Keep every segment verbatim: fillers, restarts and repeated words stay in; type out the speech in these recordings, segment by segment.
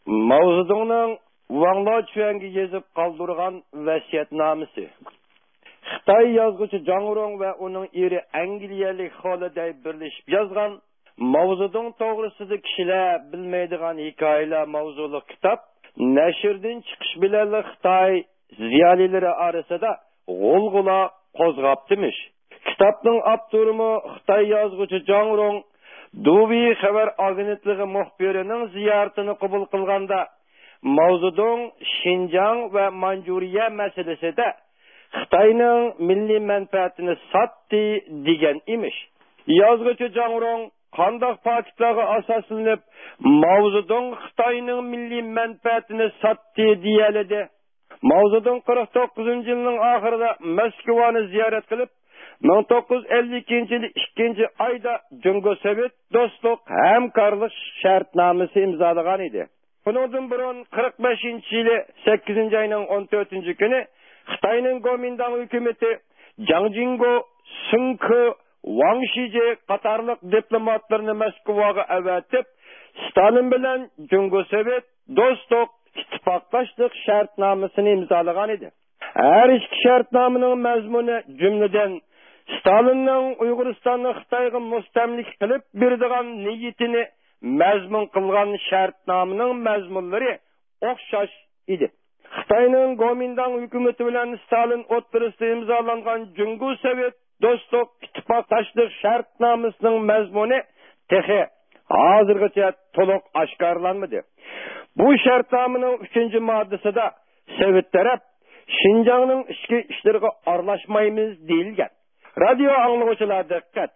ماۋزېدۇڭنىڭ ۋاڭ لاچۈەنگە يېزىپ قالدۇرغان ۋەسىيەتنامىسى. خىتاي يازغۇچى جاڭ روڭ ۋە ئۇنىڭ ئېرى ئەنگلىيەلىك خولىدەي بىرلىشىپ يازغان ماۋزېدۇڭ توغرىسىدا كىشىلەر بىلمەيدىغان ھېكايىلەر ماۋزۇلۇق كىتاب نەشردىن چىقىش بىلەنلا خىتاي زىيالىيلىرى ئارىسىدا غۇلغۇلا قوزغاپتىمىش. كىتابنىڭ ئاپتورىمۇ خىتاي يازغۇچى جاڭ روڭ دۇۋېي خەۋەر ئاگېنتلىقى مۇخبىرىنىڭ زىيارىتىنى قوبۇل قىلغاندا، ماۋزېدۇڭ شىنجاڭ ۋە مانجۇرىيە مەسىلىسىدە خىتاينىڭ مىللىي مەنپەئەتىنى ساتتى دېگەن ئىمىش. يازغۇچى جاڭ روڭ قانداق پاكىتلارغا ئاساسلىنىپ ماۋزېدۇڭ خىتاينىڭ مىللىي مەنپەئەتىنى ساتتى دېيەلىدى؟ ماۋزېدۇڭ قىرىق توققۇزىنچى يىلنىڭ ئاخىرىدا موسكۋانى زىيارەت قىلىپ، مىڭ توققۇز يۈز ئەللىك ئىككىنچى يىلى ئىككىنچى ئايدا جۇڭگو سوۋېت دوستلۇق ھەمكارلىق شەرتنامىسى ئىمزالىغان ئىدى. بۇنىڭدىن بۇرۇن قىرىق بەشىنچى يىلى سەككىزىنچى ئاينىڭ ئون تۆتىنچى كۈنى خىتاينىڭ گومىنداڭ ھۆكۈمىتى جاڭ جىڭگو، سېڭ كې، ۋاڭ شىجې قاتارلىق دىپلوماتلىرىنى موسكۋاغا ئەۋەتىپ، ستالىن بىلەن جۇڭگو سوۋېت دوستلۇق، ئىتتىپاقداشلىق شەرتنامىسىنى ئىمزالىغان ئىدى. ھەر ئىككى شەرتنامىنىڭ مەزمۇنى، جۈملىدىن، ستالىننىڭ ئۇيغۇرىستاننى خىتايغا مۇستەملىكە قىلىپ بېرىدىغان نىيىتىنى مەزمۇن قىلغان شەرتنامىنىڭ مەزمۇنلىرى ئوخشاش ئىدى. خىتاينىڭ گومىنداڭ ھۆكۈمىتى بىلەن ستالىن ئوتتۇرىسىدا ئىمزالانغان جۇڭگو سوۋېت دوستلۇق ئىتتىپاقداشلىق شەرتنامىسىنىڭ مەزمۇنى تېخى ھازىرغىچە تولۇق ئاشكارىلانمىدى. بۇ شەرتنامىنىڭ ئۈچىنچى ماددىسىدا سوۋېت تەرەپ شىنجاڭنىڭ ئىچكى ئىشلىرىغا ئارىلاشمايمىز دېيىلگەن. رادىيو ئاڭلىغۇچىلار دىققەت!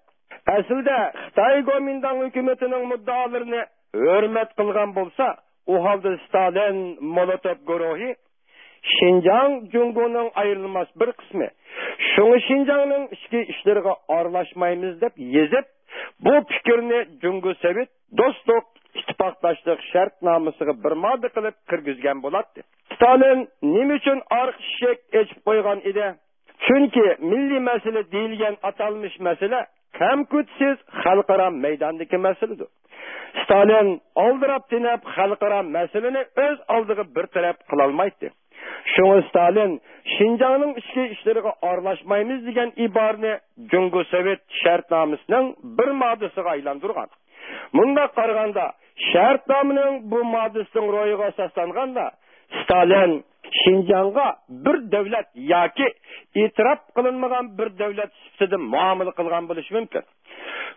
ئەسلىدە خىتاي گومىنداڭ ھۆكۈمىتىنىڭ مۇددىئالىرىنى ھۆرمەت قىلغان بولسا، ئۇ ھالدا ستالىن، مولوتوف گۇرۇھى شىنجاڭ جۇڭگونىڭ ئايرىلماس بىر قىسمى. شۇڭا شىنجاڭنىڭ ئىچكى ئىشلىرىغا ئارىلاشمايمىز دەپ يېزىپ، بۇ پىكىرنى جۇڭگو سوۋېت دوستلۇق ئىتتىپاقداشلىق شەرتنامىسىغا بىر ماددا قىلىپ كىرگۈزگەن بولاتتى. ستالىن نېمە ئۈچۈن ئارقا ئىشىك ئېچىپ قويغان ئىدى؟ چۈنكى مىللىي مەسىلە دېيىلگەن ئاتالمىش مەسىلە كەمكۈتسىز خەلقئارا مەيداندىكى مەسىلىدۇر. ستالىن ئالدىراپ تېنەپ خەلقئارا مەسىلىنى ئۆز ئالدىغا بىر تەرەپ قىلالمايتتى. شۇڭا ستالىن شىنجاڭنىڭ ئىچكى ئىشلىرىغا ئارىلاشمايمىز دېگەن ئىبارىنى جۇڭگو سوۋېت شەرتنامىسىنىڭ بىر ماددىسىغا ئايلاندۇرغان. مۇنداق قارىغاندا، شەرتنامىنىڭ بۇ ماددىسىنىڭ روھىغا ئاساسلانغاندا، ستالىن شىنجاڭغا بىر دۆلەت ياكى ئېتىراپ قىلىنمىغان بىر دۆلەت سۈپىتىدە مۇئامىلە قىلغان بولۇشى مۇمكىن.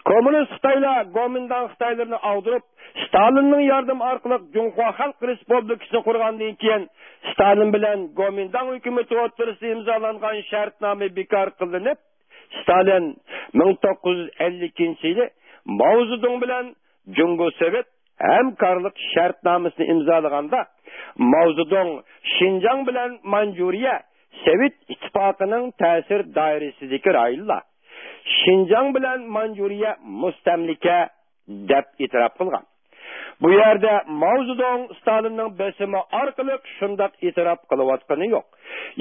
كوممۇنىست خىتايلار گومىنداڭ خىتايلىرىنى ئاغدۇرۇپ، ستالىننىڭ ياردىمى ئارقىلىق جۇڭخۇا خەلق رېسپۇبلىكىسىنى قۇرغاندىن كېيىن، ستالىن بىلەن گومىنداڭ ھۆكۈمىتى ئوتتۇرىسىدا ئىمزالانغان شەرتنامە بىكار قىلىنىپ، ستالىن مىڭ توققۇز يۈز ئەللىكىنچى يىلى ماۋزېدۇڭ بىلەن جۇڭگو سوۋېت ھەمكارلىق شەرتنامىسىنى ئىمزالىغاندا، ماۋزېدۇڭ شىنجاڭ بىلەن مانجۇرىيە سوۋېت ئىتتىپاقىنىڭ تەسىر دائىرىسىدىكى رايونلار، شىنجاڭ بىلەن مانجۇرىيە مۇستەملىكە دەپ ئېتىراپ قىلغان. بۇ يەردە ماۋزېدۇڭ ستالىننىڭ بېسىمى ئارقىلىق شۇنداق ئېتىراپ قىلىۋاتقىنى يوق.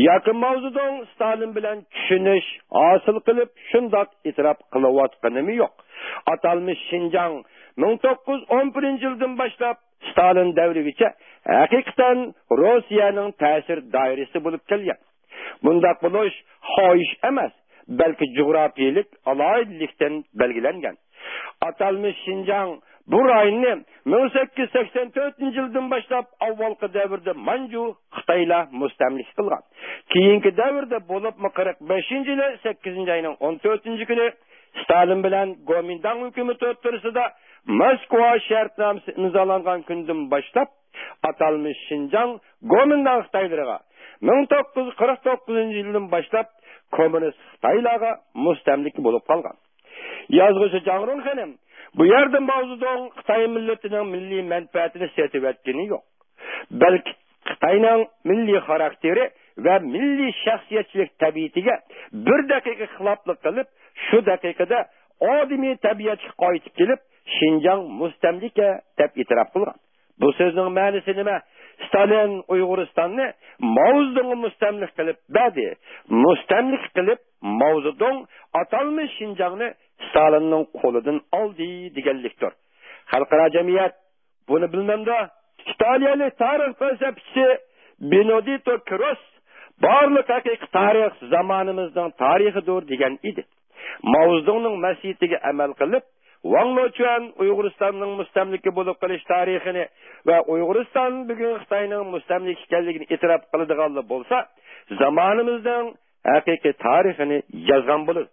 ياكى ماۋزېدۇڭ ستالىن بىلەن چۈشىنىش ھاسىل قىلىپ شۇنداق ئېتىراپ قىلىۋاتقىنىمۇ يوق. ئاتالمىش شىنجاڭ مىڭ توققۇز يۈز ئون بىرىنچى يىلدىن باشلاپ ستالىن دەۋرىگىچە ھەقىقەتەن روسىيەنىڭ تەسىر دائىرىسى بولۇپ كەلگەن. بۇنداق بولۇش خاھىش ئەمەس، بەلكى جۇغراپىيەلىك ئالاھىدىلىكتىن بەلگىلەنگەن. ئاتالمىش شىنجاڭ بۇ رايوننى مىڭ سەككىز يۈز سەكسەن تۆتىنچى يىلدىن باشلاپ ئاۋۋالقى دەۋردە مانجۇ خىتايلار مۇستەملىكە قىلغان. كېيىنكى دەۋردە، بولۇپمۇ قىرىق بەشىنچى يىلى سەككىزىنچى ئاينىڭ ئون تۆتىنچى كۈنى ستالىن بىلەن گومىنداڭ ھۆكۈمىتى ئوتتۇرىسىدا موسكۋا شەرتنامىسى ئىمزالانغان كۈندىن باشلاپ، ئاتالمىش شىنجاڭ گومىنداڭ خىتايلىرىغا، مىڭ توققۇز يۈز قىرىق توققۇزىنچى يىلدىن باشلاپ كوممۇنىست خىتايلارغا مۇستەملىكە بولۇپ قالغان. يازغۇچى جاڭ روڭ خېنىم، بۇ يەردە ماۋزېدۇڭ خىتاي مىللىتىنىڭ مىللىي مەنپەئەتىنى سېتىۋەتكىنى يوق. بەلكى خىتاينىڭ مىللىي خاراكتېرى ۋە مىللىي شەخسىيەتچىلىك تەبىئىتىگە بىر دەقىقە خىلاپلىق قىلىپ، شۇ دەقىقىدە ئادىمىي تەبىئەتكە قايتىپ كېلىپ، شىنجاڭ مۇستەملىكە دەپ ئېتىراپ قىلغان. بۇ سۆزنىڭ مەنىسى نېمە؟ ستالىن ئۇيغۇرىستاننى ماۋزېدۇڭغا مۇستەملىكە قىلىپ بەردى. مۇستەملىكە قىلىپ ماۋزېدۇڭ ئاتالمىش شىنجاڭنى ستالىننىڭ قولىدىن ئالدى دېگەنلىكتۇر. خەلقئارا جەمئىيەت بۇنى بىلمەمدۇ؟ ئىتالىيەلىك تارىخ پەلسەپىچىسى بېنېدىتتو كروس بارلىق ھەقىقىي تارىخ زامانىمىزنىڭ تارىخىدۇر دېگەن ئىدى. ماۋزېدۇڭنىڭ ۋەسىيىتىگە ئەمەل قىلىپ، ۋاڭ لېچۈەن ئۇيغۇرىستاننىڭ مۇستەملىكە بولۇپ قېلىش تارىخىنى ۋە ئۇيغۇرىستان بۈگۈن خىتاينىڭ مۇستەملىكە ئىكەنلىكىنى ئېتىراپ قىلىدىغانلا بولسا، زامانىمىزنىڭ ھەقىقىي تارىخىنى يازغان بولىدۇ.